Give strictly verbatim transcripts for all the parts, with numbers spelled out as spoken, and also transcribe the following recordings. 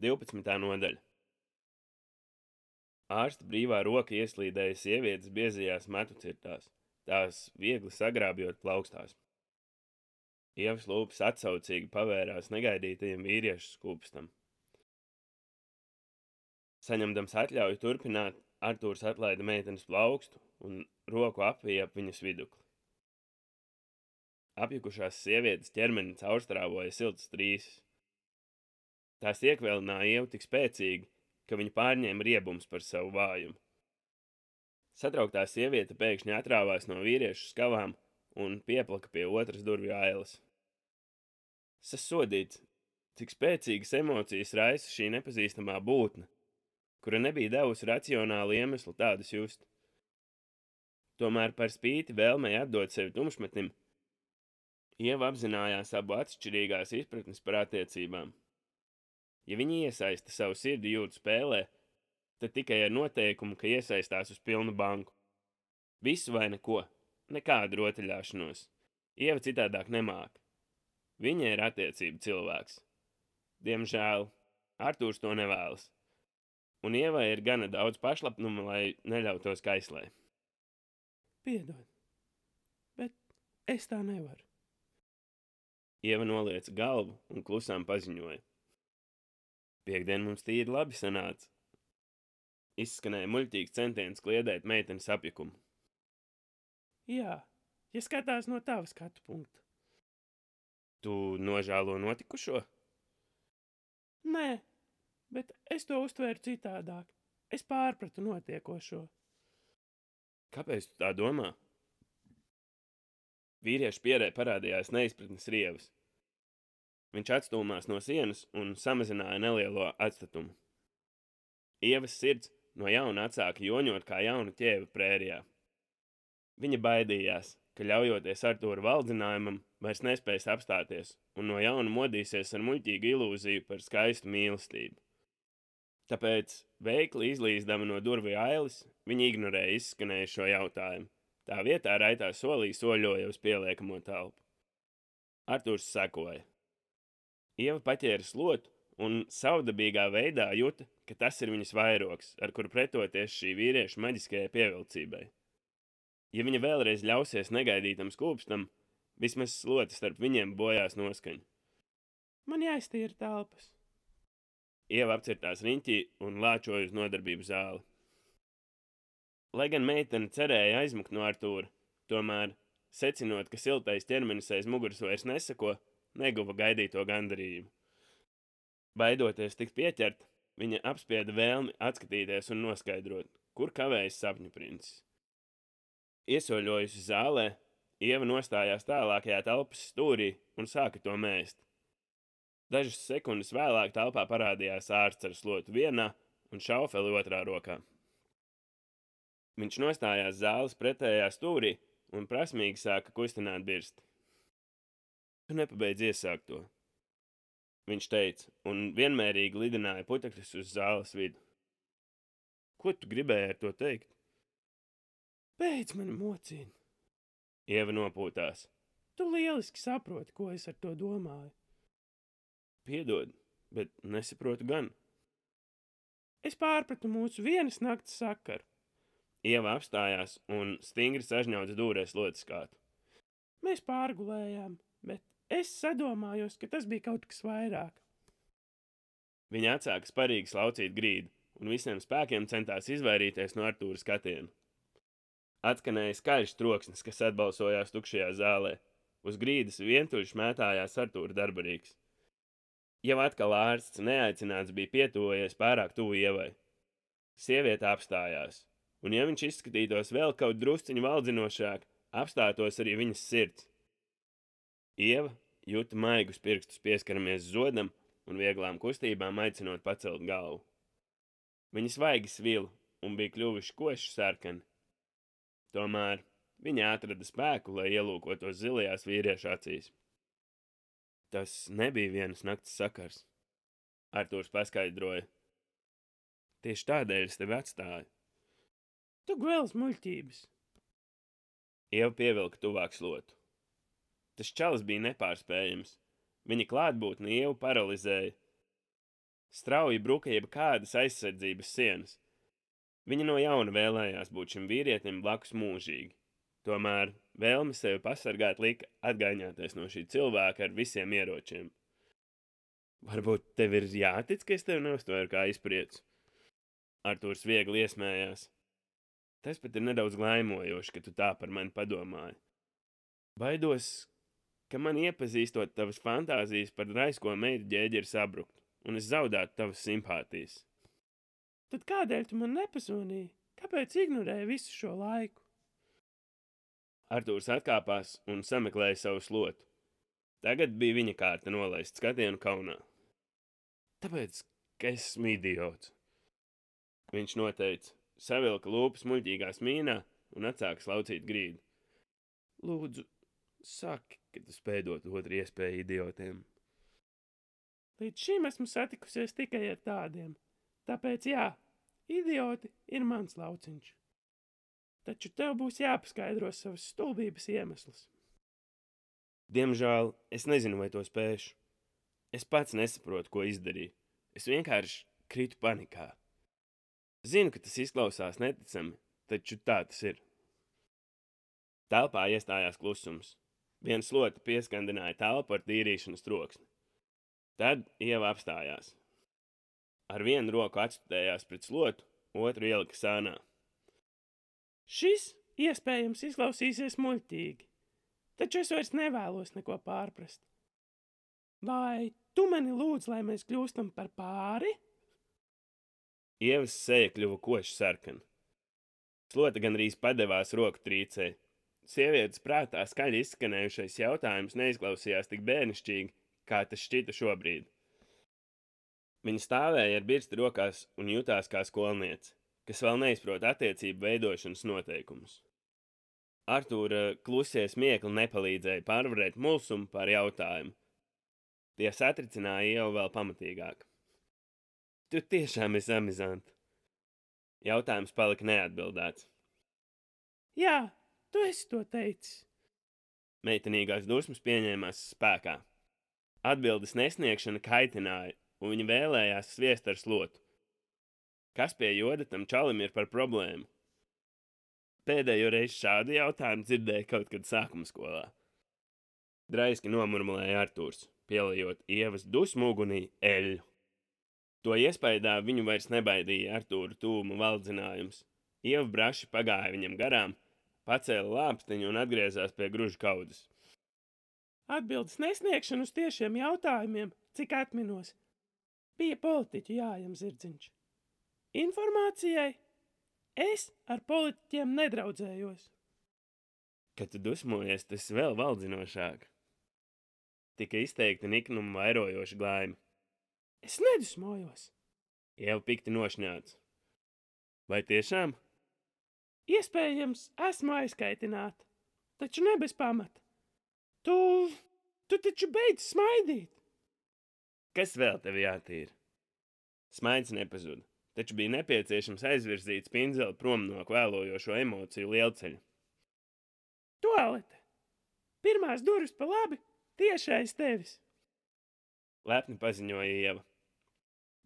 divpadsmitā nodaļa. Ārsta brīvā roka ieslīdēja sievietes biezajās matucirtās, tās viegli sagrābjot plaukstās. Ievas lūpas atsaucīgi pavērās negaidītajam vīriešu skūpstam. Saņemdams atļauju turpināt, Artūrs atlaida meitenes plaukstu un roku apvija ap viņas vidukli. Apjukušās sievietes ķermeni caurstrāvoja siltas trīsas. Tās iekvēlināja Ievu tik spēcīgi, ka viņa pārņēma riebums par savu vājumu. Satrauktā sieviete pēkšņi atrāvās no vīriešu skavām un pieplaka pie otras durvju ailes. Sasodīts, cik spēcīgas emocijas raisa šī nepazīstamā būtne, kura nebija devusi racionālu iemeslu tādas just. Tomēr par spīti vēlmei atdot sevi tumšmetnim, Ieva apzinājās abu atšķirīgās izpratnes par attiecībām. Ja viņi iesaista savu sirdi jūtu spēlē, tad tikai ar noteikumu, ka iesaistās uz pilnu banku. Visu vai neko, nekādu rotaļāšanos. Ieva citādāk nemāk. Viņa ir attiecību cilvēks. Diemžēl Artūrs to nevēlas. Un Ievai ir gana daudz pašlapnuma, lai neļautos kaislē. Piedod, bet es tā nevaru. Ieva nolieca galvu un klusām paziņoja. Piektdien mums tīri labi sanāca. Izskanēja muļķīgs centiens kliedēt meitenes apjukumu. Jā, ja skatās no tava skatu punkta. Tu nožēlo notikušo? Nē, bet es to uztvēru citādāk. Es pārpratu notiekošo. Kāpēc tu tā domā? Vīriešu pierē parādījās neizpratnes rievas. Viņš atstūmās no sienas un samazināja nelielo atstatumu. Ievas sirds no jauna atsāka joņot kā jauna ķēva prērijā. Viņa baidījās, ka ļaujoties Artūra valdzinājumam, vairs nespēs apstāties un no jauna modīsies ar muļķīgu ilūziju par skaistu mīlestību. Tāpēc, veikli izlīzdama no durvju ailes, viņa ignorēja izskanējušo jautājumu. Tā vietā raitā solī soļoja uz pieliekamo telpu. Artūrs sekoja. Ieva paķēra slotu un savdabīgā veidā juta, ka tas ir viņas vairogs, ar kuru pretoties šī vīrieša maģiskajai pievilcībai. Ja viņa vēlreiz ļausies negaidītam skūpstam, vismaz sloti starp viņiem bojās noskaņu. Man jāiztīra telpas. Ieva apcirtās riņķī un lāčoja uz nodarbību zāli. Lai gan meitene cerēja aizmukt no Artūra, tomēr, secinot, ka siltais ķermenis aiz muguras vairs nesako, neguva gaidīto gandarījumu. Baidoties tikt pieķert, viņa apspieda vēlmi atskatīties un noskaidrot, kur kavējas sapņu princis. Iesoļojusi zālē, Ieva nostājās tālākajā telpas stūrī un sāka to mēst. Dažas sekundes vēlāk telpā parādījās ārsts ar slotu vienā un šaufeli otrā rokā. Viņš nostājās zāles pretējā stūrī un prasmīgi sāka kustināt birsti. Tu nepabeidz iesākt to, viņš teica, un vienmērīgi lidināja putekļus uz zāles vidu. Ko tu gribēji ar to teikt? Beidz mani mocīt. Ieva nopūtās. Tu lieliski saproti, ko es ar to domāju. Piedod, bet nesaprotu gan. Es pārpratu mūsu vienas nakts sakaru. Ieva apstājās un stingri sažņauca dūrēs lotes kātu. Mēs pārgulējām, bet es sadomājos, ka tas bija kaut kas vairāk. Viņa atsāka sparīgi slaucīt grīdu un visiem spēkiem centās izvairīties no Artūra skatiena. Atskanēja skaļš troksnis, kas atbalsojās tukšajā zālē. Uz grīdas vientuļš mētājās Artūra darbarīgs. Jau atkal ārsts neaicināts bija pietuvojies pārāk tuvu Ievai. Sieviete apstājās. Un ja viņš izskatītos vēl kaut drusciņu valdzinošāk, apstātos arī viņas sirds. Ieva juta maigus pirkstus pieskaramies zodam un vieglām kustībām aicinot pacelt galvu. Viņa svaigi svila un bija kļuvuši koši sarkani. Tomēr viņa atrada spēku, lai ielūkotos zilajās vīriešu acīs. Tas nebija vienas nakts sakars, Artūrs paskaidroja. Tieši tādēļ es tevi atstāju. Tu gvēls muļķības. Ieva pievilka tuvāk slotu. Tas čalis bija nepārspējams. Viņa klātbūtne Ievu paralizēja. Strauji bruka jeb kādas aizsardzības sienas. Viņa no jauna vēlējās būt šim vīrietim blakus mūžīgi. Tomēr vēlme sevi pasargāt lika atgaiņāties no šī cilvēka ar visiem ieročiem. Varbūt tev ir jātic, ka es tevi neuztvēru kā izpriecu? Artūrs viegli iesmējās. Tas pat ir nedaudz glaimojoši, ka tu tā par mani padomāji. Baidos, ka man iepazīstot tavas fantāzijas par raisko meitu ģēģeri sabrukt, un es zaudētu tavas simpātijas. Tad kādēļ tu man nepazvanīji? Kāpēc ignorēji visu šo laiku? Artūrs atkāpās un sameklēja savu slotu. Tagad bija viņa kārta nolaist skatienu kaunā. Tāpēc, ka esmu idiots. Viņš noteica, savilka lūpas muļķīgās mīnā un atsāka slaucīt grīdu. Lūdzu, saki, ka tu spēj dot otru iespēju idiotiem. Līdz šim esmu satikusies tikai ar tādiem. Tāpēc jā, idioti ir mans lauciņš. Taču tev būs jāpaskaidro savas stulbības iemesls. Diemžēl es nezinu, vai to spēšu. Es pats nesaprotu, ko izdarīju. Es vienkārši kritu panikā. Zinu, ka tas izklausās neticami, taču tā tas ir. Telpā iestājās klusums. Viena slota pieskandināja telpu ar tīrīšanas troksni. Tad Ieva apstājās. Ar vienu roku atstutējās pret slotu, otru ielika sānā. Šis iespējams izklausīsies muļķīgi, taču es vairs nevēlos neko pārprast. Vai tu mani lūdz, lai mēs kļūstam par pāri? Ievas seja kļuva koši sarkana. Slota gandrīz padevās roku trīcē. Sievietes prātā skaļi izskanējušais jautājums neizklausījās tik bērnišķīgi, kā tas šķita šobrīd. Viņa stāvēja ar birsti rokās un jutās kā skolniece, kas vēl neizprot attiecību veidošanas noteikumus. Artūra klusie smiekli nepalīdzēja pārvarēt mulsumu par jautājumu. Tie satricināja Ievu vēl pamatīgāk. Tu tiešām esi amizanti. Jautājums palika neatbildēts. Jā, tu esi to teicis. Meitenīgās dusmas pieņēmās spēkā. Atbildes nesniegšana kaitināja, un viņa vēlējās sviest ar slotu. Kas pie joda tam čalim ir par problēmu? Pēdējo reizi šādu jautājumu dzirdēja kaut kad sākuma skolā. Draiski nomurmulēja Artūrs, pielejot Ievas dusmu ugunī eļļu. To iespaidā viņu vairs nebaidīja Artūra tūma valdzinājums. Ieva braši pagāja viņam garām, pacēla lāpstiņu un atgriezās pie gruža kaudzes. Atbildes nesniegšana uz tiešiem jautājumiem, cik atminos, bija politiķu jājam zirdziņš. Informācijai es ar politiķiem nedraudzējos. Kad tu dusmojies, tas vēl valdzinošāk. Tika izteikti niknumu vairojoši glaimi. Es nedusmojos. Ieva pikti nošņāts. Vai tiešām? Iespējams, esmu aizkaitināta, taču ne bez pamata. Tu, tu taču beidz smaidīt. Kas vēl tev jātīra? Smaids nepazuda, taču bija nepieciešams aizvirzīt spindzeli prom no kvēlojošo emociju lielceļa. Tualete! Pirmās durvis pa labi, tieši aiz tevis. Lepni paziņoja Ieva.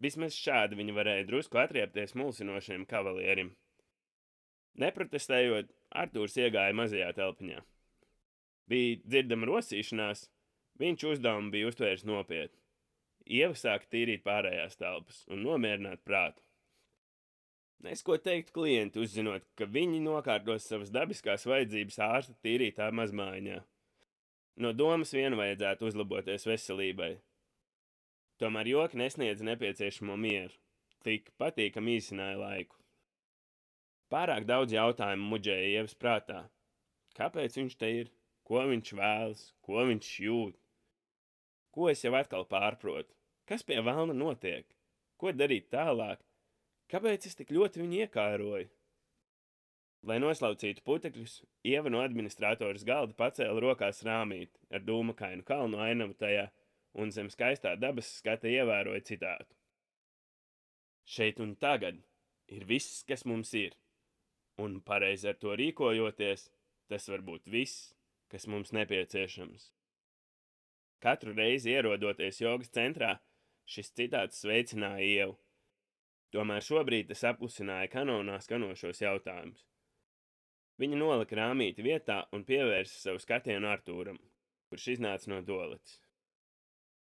Vismaz šādi viņa varēja drusku atriepties mulsinošiem kavalierim. Neprotestējot, Artūrs iegāja mazajā telpiņā. Bija dzirdama rosīšanās, viņš uzdevumu bija uztvērs nopietni. Ieva sāka tīrīt pārējās telpas un nomierināt prātu. Nes ko teikt klienti, uzzinot, ka viņi nokārtos savas dabiskās vajadzības ārsta tīrītā mazmājiņā. No domas vien vajadzētu uzlaboties veselībai. Tomēr joki nesniedza nepieciešamo mieru, tik patīkami īsināja laiku. Pārāk daudz jautājumu muģēja Ievas prātā. Kāpēc viņš te ir? Ko viņš vēlas? Ko viņš jūt? Ko es jau atkal pārprotu? Kas pie velna notiek? Ko darīt tālāk? Kāpēc es tik ļoti viņu iekāroju? Lai noslaucītu putekļus, Ieva no administratoras galda pacēla rokās rāmīti ar dūmakainu kalnu ainavu tajā un zem skaistā dabas skata ievēroja citātu. Šeit un tagad ir viss, kas mums ir, un pareizi ar to rīkojoties, tas var būt viss, kas mums nepieciešams. Katru reizi ierodoties jogas centrā, šis citāts sveicināja Ievu. Tomēr šobrīd tas aplusināja kanonā skanošos jautājumus. Viņa nolika rāmīti vietā un pievērsa savu skatienu Artūram, kurš iznāca no toaletes.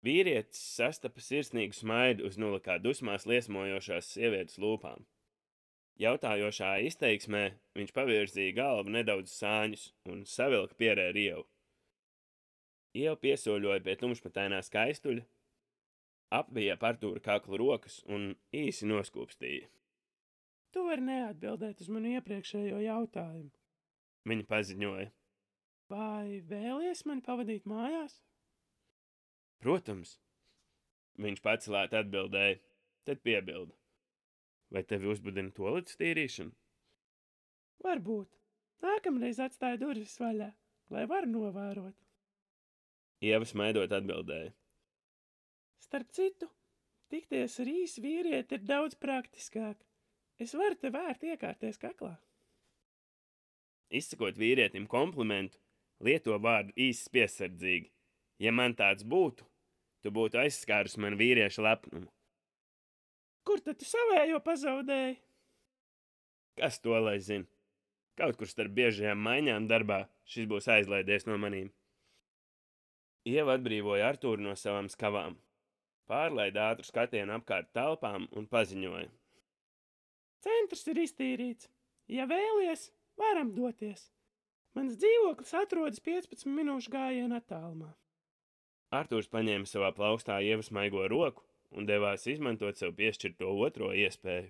Vīrietis sastapa sirsnīgu smaidu uz nulikā dusmās liesmojošās sievietes lūpām. Jautājošā izteiksmē viņš pavirzīja galvu nedaudz sāņus un savilka pierē ar Ievu. Ieva piesoļoja pie tumšmatainā skaistuļa, apvija ap Artūra kaklu rokas un īsi noskūpstīja. Tu vari neatbildēt uz manu iepriekšējo jautājumu. Viņa paziņoja. Vai vēlies mani pavadīt mājās? Protams. Viņš pacelēt atbildēja, tad piebilda. Vai tevi uzbudina toaletes tīrīšana? Varbūt. Nākamreiz atstāja durvis vaļā, lai varu novērot. Ieva smaidot atbildēja. Starp citu, tikties ar īsu vīrieti ir daudz praktiskāk. Es varu te vērt iekārties kaklā. Izsakot vīrietim komplimentu, lieto vārdu īsi piesardzīgi. Ja man tāds būtu, tu būtu aizskārus man vīrieša lepnumu. Kur tad tu savējo pazaudēji? Kas to lai zina? Kaut kur starp biežajām maiņām darbā šis būs aizlaidies no manīm. Ieva atbrīvoja Artūru no savām skavām, pārlaida ātru skatienu apkārt telpām un paziņoja. Centrs ir iztīrīts. Ja vēlies, varam doties. Mans dzīvoklis atrodas piecpadsmit minūšu gājiena attālumā. Artūrs paņēma savā plaustā Ievas maigo roku un devās izmantot sev piešķirto otro iespēju.